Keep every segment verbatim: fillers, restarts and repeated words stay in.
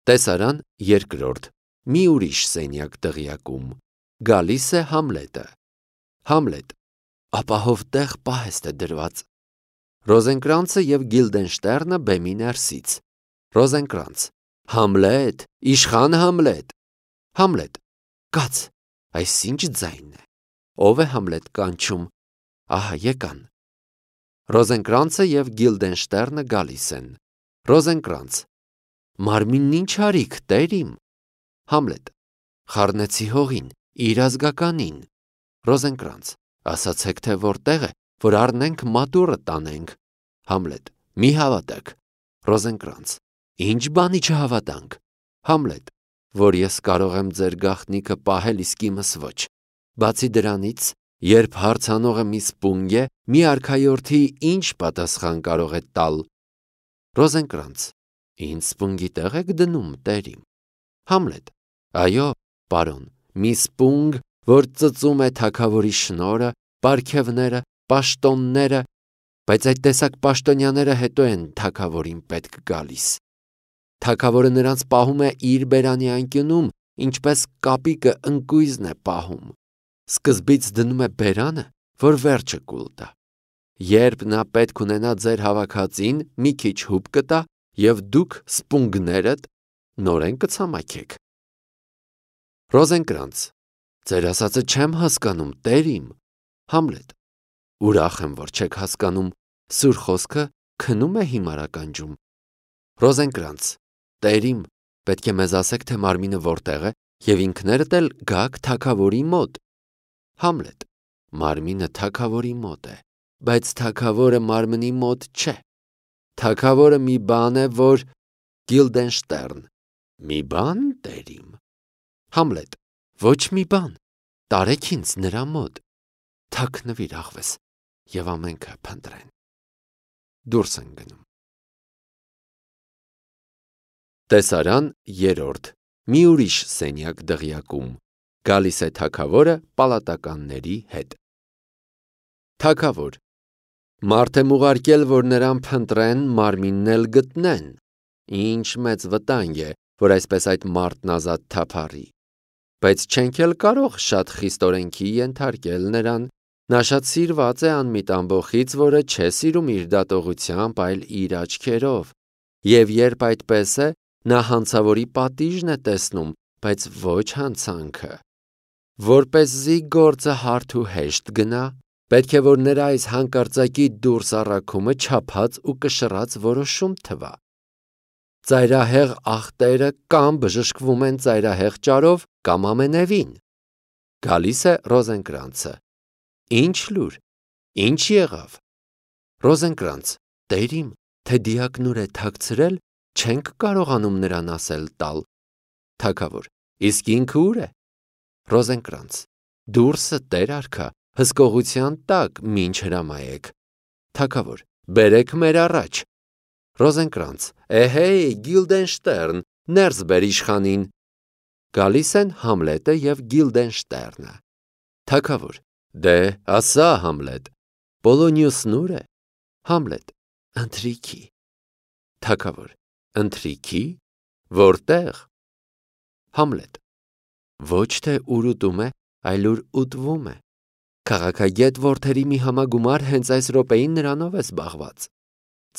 Տեսարան երկրորդ, մի ուրիշ սենյակ դղյակում, գալիս է Համլետը։ Համլետ, ապահով տեղ պահեստ է դրված։ Ռոզենկրանցը և Գիլդենշտերնը բեմի ներսից։ Ռոզենկրանց, Համլետ, իշխան Համլետ։ Համլետ, կաց, այս ինչ ձայնն է։ Ով է Համլետ կանչում։ Ահա եկան։ Ռոզենկրանցը և Գիլդենշտերնը գալիս են։ Ռոզենկրանց, մարմինն ինչ արիք, տեր իմ։ Համլետ, խառնեցի հողին, իր ազգականին։ Ռոզենկրանց, ասացեք, թե որտեղ է, որ առնենք մատուռը տանենք։ Համլետ, մի հավատեք։ Ռոզենկրանց, ինչ բանի չհավատանք։ Համլետ, որ ես կարող եմ ձեր գաղտնիքը պահել, իսկ իմս ոչ։ Բացի դրանից, երբ հարցանողը մի սպունգ է, մի արքայորդի ինչ պատասխան կարող է տալ։ Ռոզենկրանց, ինձ սպունգի տեղ եք դնում, տեր իմ։ Համլետ, այո, պարոն, մի սպունգ, որ ծծում է թագավորի շնորհը, պարգևները, պաշտոնները, բայց այդ տեսակ պաշտոնյաները հետո են թագավորին պետք գալիս։ Թագավորը նրանց պահում է իր բերանի անկյունում, ինչպես կապիկը ընկույզն է պահում։ Սկզբից դնում է բերանը, որ վերջը կուլ տա։ Երբ նա պետք ունենա ձեր հավաքածին, մի քիչ հուպ կտա, և դուք սպունգներդ նորեն կցամաքեք։ Ռոզենկրանց, ձեր ասածը չեմ հասկանում, տեր իմ։ Համլետ, ուրախ եմ, որ չեք հասկանում, սուր խոսքը քնում է հիմար ականջում։ Ռոզենկրանց, տեր իմ, պետք է մեզ ասեք, թե մարմինը որտեղ է, և ինքներդ էլ գաք թագավորի մոտ։ Համլետ, մարմինը թագավորի մոտ է, բայց թագավորը մարմնի մոտ չէ։ Թագավորը մի բան է, որ… Գիլդենշտերն, մի բան, տեր իմ։ Համլետ, ոչ մի բան, տարեք ինձ նրա մոտ։ Թաքնվիր աղվես, և ամենքը փնտրեն։ Դուրս են գնում։ Տեսարան երրորդ, մի ուրիշ սենյակ դղյակում, գալիս է թագավորը պալատականների հետ։ Թագավոր, մարդ եմ ուղարկել, որ նրան փնտրեն, մարմինն էլ գտնեն։ Ինչ մեծ վտանգ է, որ այսպես այդ մարդն ազատ թափառի։ Բայց չենք էլ կարող շատ խիստ օրենքի ենթարկել նրան։ Նա շատ սիրված է անմիտ ամբոխից, որը չէ սիրում իր դատողությամբ, այլ իր աչքերով։ Եվ երբ այդպես է, նա հանցավորի պատիժն է տեսնում, բայց ոչ հանցանքը։ Որպեսզի գործը հարթ ու հեշտ գնա, պետք է, որ նրա այս հանկարծակի դուրս առաքումը չափած ու կշռած որոշում թվա։ Ծայրահեղ ախտերը կամ բժշկվում են ծայրահեղ ճարով, կամ ամենևին։ Գալիս է Ռոզենկրանցը։ Ինչ լուր, ինչ եղավ։ Ռոզենկրանց, տեր իմ, թե դիակնուր է թաքցրել, չենք կարողանում նրան ասել տալ։ Թագավոր, իսկ ինքը ուր է։ Ռոզենկրանց, դուրսը, տեր արքա, հսկողության տակ, մինչ հրամայեք։ Թագավոր, բերեք մեր առաջ։ Ռոզենկրանց, էհեյ, Գիլդենշտերն, ներս բեր իշխանին։ Գալիս են Համլետը և Գիլդենշտերնը։ Թագավոր, դե, ասա, Համլետ, Պոլոնիուսն ուր է։ Համլետ, ընթրիքի։ Թագավոր, ընթրիքի, որտեղ։ Համլետ, ոչ թե ուր ուտում է, այլ ուր ուտվում է։ Քաղաքագետ որդերի մի համագումար հենց այս րոպեին նրանով է զբաղված։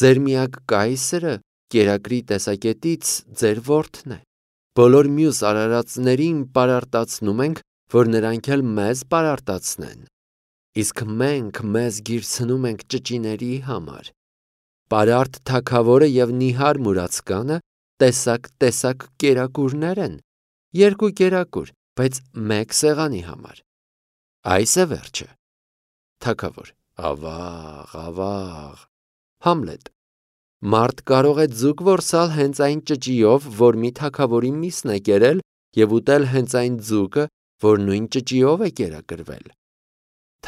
Ձեր միակ կայսրը կերակրի տեսակետից ձեր որդն է։ Բոլոր մյուս արարածներին պարարտացնում ենք, որ նրանք էլ մեզ պարարտացնեն։ Իսկ մենք մեզ գիրցնում ենք ճճիների համար։ Պարարտ թագավորը և նիհար մուրացկանը տեսակ-տեսակ կերակուրներ են։ Երկու կերակուր, բայց մեկ սեղանի համար։ Այս է վերջը։ Թագավոր, ավաղ, ավաղ։ Համլետ, մարդ կարող է ձուկ որսալ հենց այն ճճիով, որ մի թագավորի միսն է կերել, և ուտել հենց այն ձուկը, որ նույն ճճիով է կերակրվել։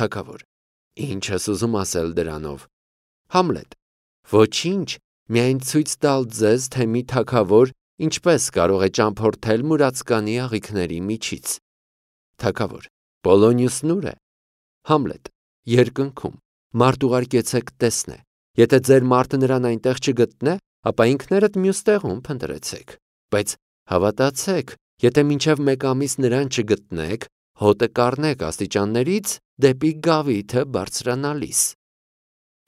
Թագավոր, ինչ ես ուզում ասել դրանով։ Համլետ, ոչինչ, միայն ցույց տալ ձեզ, թե մի թագավոր ինչպես կարող է ճամփորդել մուրացկանի աղիքների միջից։ Թագավոր, Պոլոնիուսն ուր է։ Համլետ, երկնքում, մարդ ուղարկեցեք տեսնե։ Եթե ձեր մարդը նրան այնտեղ չգտնե, ապա ինքներդ մյուս տեղում փնտրեցեք, բայց Հավատացեք, եթե մինչև մեկ ամիս նրան չգտնեք, հոտը կառնեք աստիճաններից դեպի գավիթը բարձրանալիս։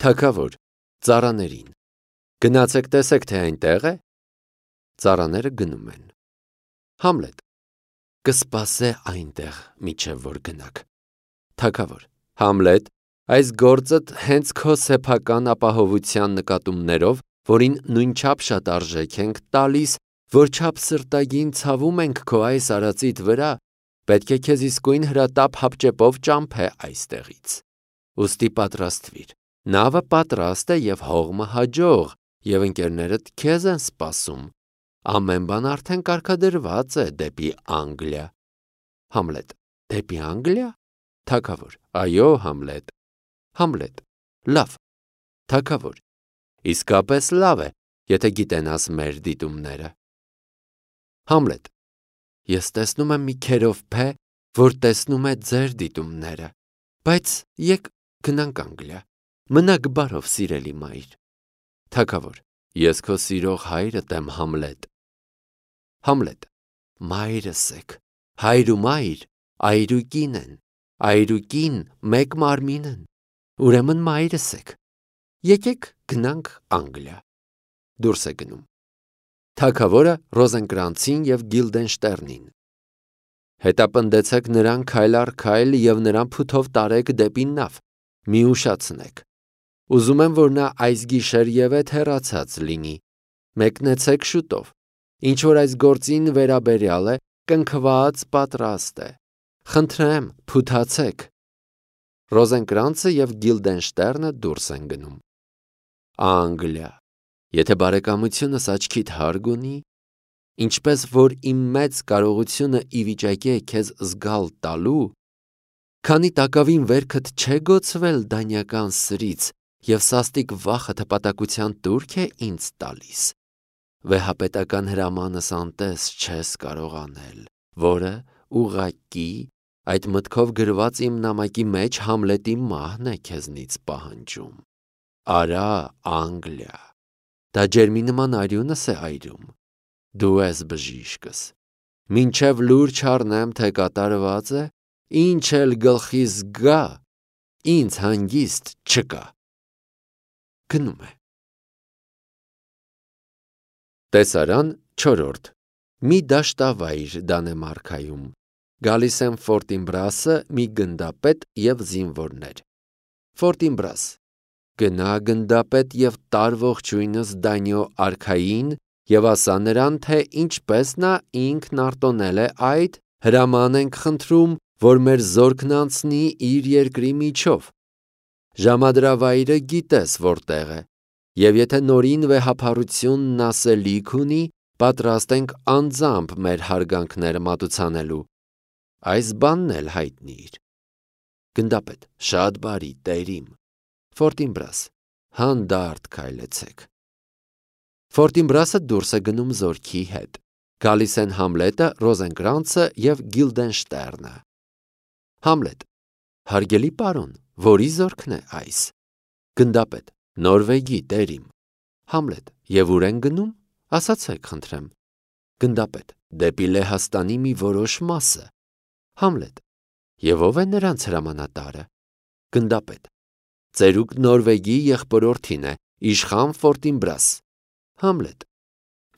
Թագավոր, ծառաներին. Գնացեք տեսեք, թե այնտեղ է։ Ծառաները գնում են։ Համլետ. Կսպասե այնտեղ, մինչև որ գնաք։ Թագավոր. Համլետ, այս գործդ հենց քո սեփական ապահովության նկատումներով, որին նույնչափ շատ արժեք ենք տալիս, որչափ սրտագին ցավում ենք քո այս արածիդ վրա, պետք է քեզ իսկույն հրատապ հապճեպով ճամփե այստեղից։ Ուստի պատրաստվիր։ Նավը պատրաստ է եւ հողմը հաջող, եւ ընկերներդ քեզ են սպասում։ Ամեն բան արդեն կարգադրված է դեպի Անգլիա։ Համլետ. Դեպի Անգլիա։ Թագավոր. Այո, Համլետ։ Համլետ. Լավ։ Թագավոր. Իսկապես լավ է, եթե գիտենաս մեր դիտումները։ Համլետ. Ես տեսնում եմ մի քերովփե, որ տեսնում է ձեր դիտումները, բայց եկ գնանք Անգլիա։ Մնաք բարով, սիրելի մայր։ Թագավոր. Ես քո սիրող հայրդ եմ, Համլետ։ Համլետ. Մայրս եք։ Հայր ու մայր այրուկին են, այրուկին մեկ մարմին են, ուրեմն մայրս եք։ Եկեք գնանք Անգլիա։ Դուրս է գնում։ Թագավորը Ռոզենկրանցին և Գիլդենշտերնին. Հետապնդեցեք նրան քայլ առ քայլ և նրան փութով տարեք դեպի նավ, մի ուշացնեք։ Ուզում եմ, որ նա այս գիշեր ևեթ հեռացած լինի։ Մեկնեցեք շուտով։ Ինչ որ այս գործին վերաբերյալ է, կնքված պատրաստ է։ Խնդրեմ, փութացեք։ Ռոզենկրանցը և Գիլդենշտերնը դուրս են գնում։ Անգլիա։ Եթե բարեկամությունս աչքիդ հարկ ունի, ինչպես որ իմ մեծ կարողությունը ի վիճակի է քեզ զգալ տալու, քանի տակավին վերքդ չէ գոցվել դանյական սրից և սաստիկ վախը հպատակության տուրք է ինձ տալիս, վեհապետական հրամանս անտես չես կարող անել, որը ուղղակի այդ մտքով գրված իմ նամակի մեջ Համլետի մահն է քեզնից պահանջում։ Արա Անգլիա։ Դա ջերմի նման արյունս է այրում։ Դու ես բժիշկս։ Մինչև լուր չառնեմ, թե կատարված է, ինչ էլ գլխիս գա, ինձ հանգիստ չկա։ Գնում է։ Տեսարան չորրորդ։ Մի դաշտավայր Դանեմարքայում։ Գալիս են Ֆորտինբրասը, մի գնդապետ և զինվորներ։ Ֆորտինբրաս. Գնա գնդապետ և տար ողջույնս Դանիո արքային և ասա նրան, թե ինչպես նա ինքն արտոնել է այդ, հրաման ենք խնդրում, որ մեր զորքն անցնի իր երկրի միջով։ Ժամադրավայրը գիտես որտեղ է, և եթե նորին վեհափառությունն ասելիք ունի, պատրաստ ենք անձամբ մեր հարգանքները մատուցանելու։ Այս բանն էլ հայտնիր։ Գնդապետ. Շատ բարի, տերիմ։ Ֆորտինբրաս. Հանդարտ քայլեցեք։ Ֆորտինբրասը դուրս է գնում զորքի հետ։ Գալիս են Համլետը, Ռոզենկրանցը և Գիլդենշտերնը։ Համլետ. Հարգելի պարոն, որի զորքն է այս։ Գնդապետ. Նորվեգի, տերիմ։ Համլետ. Եվ ուր են գնում, ասացեք խնդրեմ։ Գնդապետ. Դեպի Լեհաստանի մի որոշ մասը։ Համլետ. Եվ ով է նրանց հրամանատարը։ Գնդապետ. Ծերուկ Նորվեգի եղբորորդին է, իշխան Ֆորտինբրաս։ Համլետ.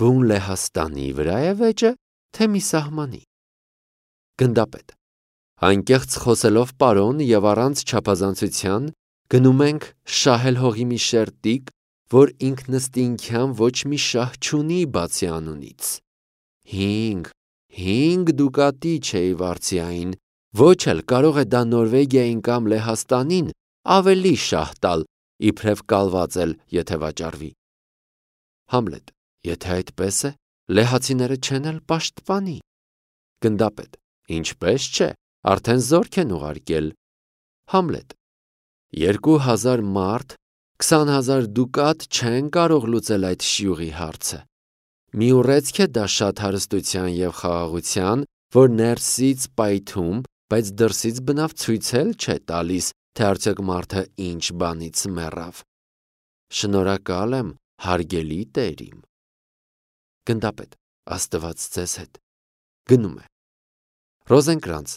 Բուն Լեհաստանի վրա է վեճը, թե մի սահմանի։ Գնդապետ. Անկեղծ խոսելով պարոն և առանց չափազանցության, գնում ենք շահել հողի մի շերտիկ, որ ինքնըստինքյան ոչ մի շահ չունի բացի անունից։ Հինգ, հինգ դուկատի չէի վարձյային, ոչ էլ կարող է դա Նորվեգիային կամ Լեհաստանին ավելի շահ տալ, իբրև կալված էլ, եթե վաճառվի։ Համլետ. Եթե այդպես է, լեհացիները չեն էլ պաշտպանի։ Գնդապետ. Ինչպես չէ, արդեն զորք են ուղարկել։ Համլետ. Երկու հազար մարդ, քսան հազար դուկատ չեն կարող լուծել այդ շյուղի հարցը։ Մի ուռեցք է դա շատ հարստության և խաղաղության, որ ներսից պայթում, բայց դրսից բնավ ցույց էլ չէ տալիս, թե արդյոք մարդը ինչ բանից մեռավ։ Շնորհակալ եմ, հարգելի տերիմ։ Գնդապետ. Աստված ձեզ հետ։ Գնում է։ Ռոզենկրանց,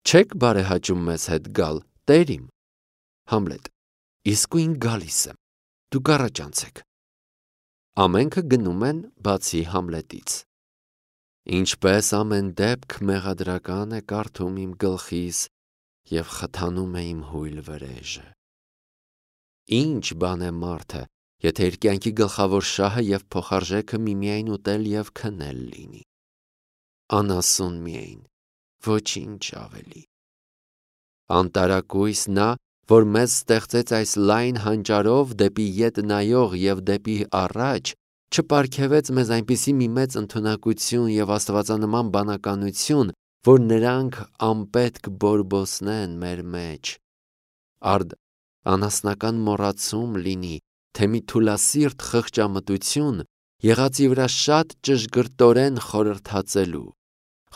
չեք բարեհաճում մեզ հետ գալ, Տեր իմ։ Համլետ, իսկույն գալիս եմ, դուք առաջ անցեք։ Ամենքը գնում են, բացի Համլետից։ Ինչպես ամեն դեպք մեղադրական է կարդում իմ գլխիս և խթանում է իմ հույլ վրեժը։ Ինչ բան է մարդը, եթե իր կյանքի գլխավոր շահը և փոխարժեքը միմիայն ուտել և քնել լինի։ Անասուն միայն, ոչինչ ավելի։ Անտարակույս նա, որ մեզ ստեղծեց այս լայն հանճարով դեպի ետ նայող և դեպի առաջ, չպարգևեց մեզ այնպիսի մի մեծ ընդունակություն և աստվածանման բանականություն, որ նրանք անպետք բորբոսնեն մեր մեջ։ Արդ անասնական մոռացում լինի, թե մի թուլասիրտ խղճամտություն եղածի վրա շատ ճշգրտորեն խորհրդածելու,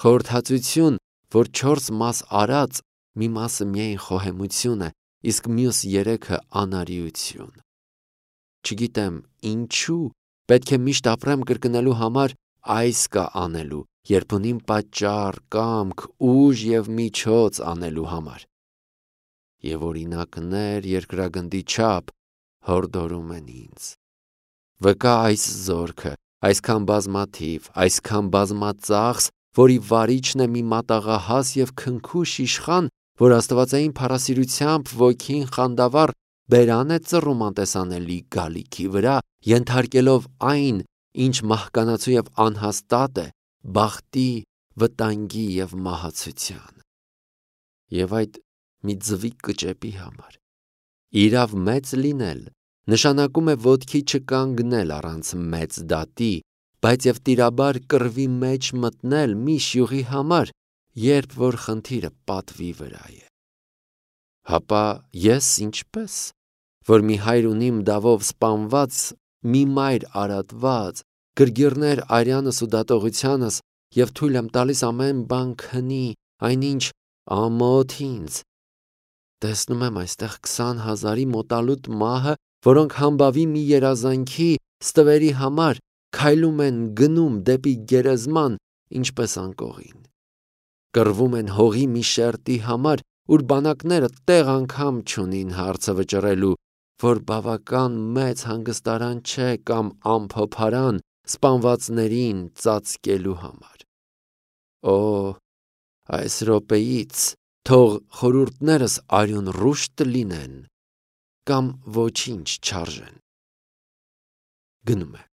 խորհրդածություն, որ չորս մաս արած, մի մասը միայն խոհեմություն է, իսկ մյուս երեքը անարիություն։ Չգիտեմ ինչու պետք է միշտ ապրեմ կրկնելու համար այս կա անելու, երբ ունիմ պատճառ, կամք, ուժ և միջոց անելու համար։ Եվ օրինակներ երկրագնդի չափ հորդորում են ինձ։ Վկա այս զորքը, այսքան բազմաթիվ, այսքան բազմածախս, որի վարիչն է մի մատաղահաս և քնքուշ իշխան, որ աստվածային փառասիրությամբ ոգին խանդավառ բերան է ծռում անտեսանելի գալիքի վրա, ենթարկելով այն, ինչ մահկանացու և անհաստատ է, բախտի, վտանգի և մահացության։ Եվ այդ մի ձվի կճեպի համար։ Իրավ մեծ լինել նշանակում է ոտքի չկանգնել առանց մեծ դատի, բայց և տիրաբար կռվի մեջ մտնել մի շյուղի համար, երբ որ խնդիրը պատվի վրա է։ Հապա ես ինչպե՞ս, որ մի հայր ունիմ դավով սպանված, մի մայր արատված, գրգիռներ արյանս ու դատողությանս և թույլ եմ տալիս ամեն բան քնի, այնինչ ամոթ ինձ։ Տեսնում եմ այստեղ քսան հազարի մոտալուտ մահը, որոնք համբավի մի երազանքի, ստվերի համար քայլում են գնում դեպի գերեզման, ինչպես անկողին։ Կռվում են հողի մի շերտի համար, ուր բանակները տեղ անգամ չունին հարցը վճռելու, որ բավական մեծ հանգստարան չէ կամ ամփոփարան սպանվածներին ծածկելու համար։ Օ, այս րոպեից թող խորհուրդներս արյուն ռուշտ լինեն կամ ոչինչ չարժեն։ Գնում է։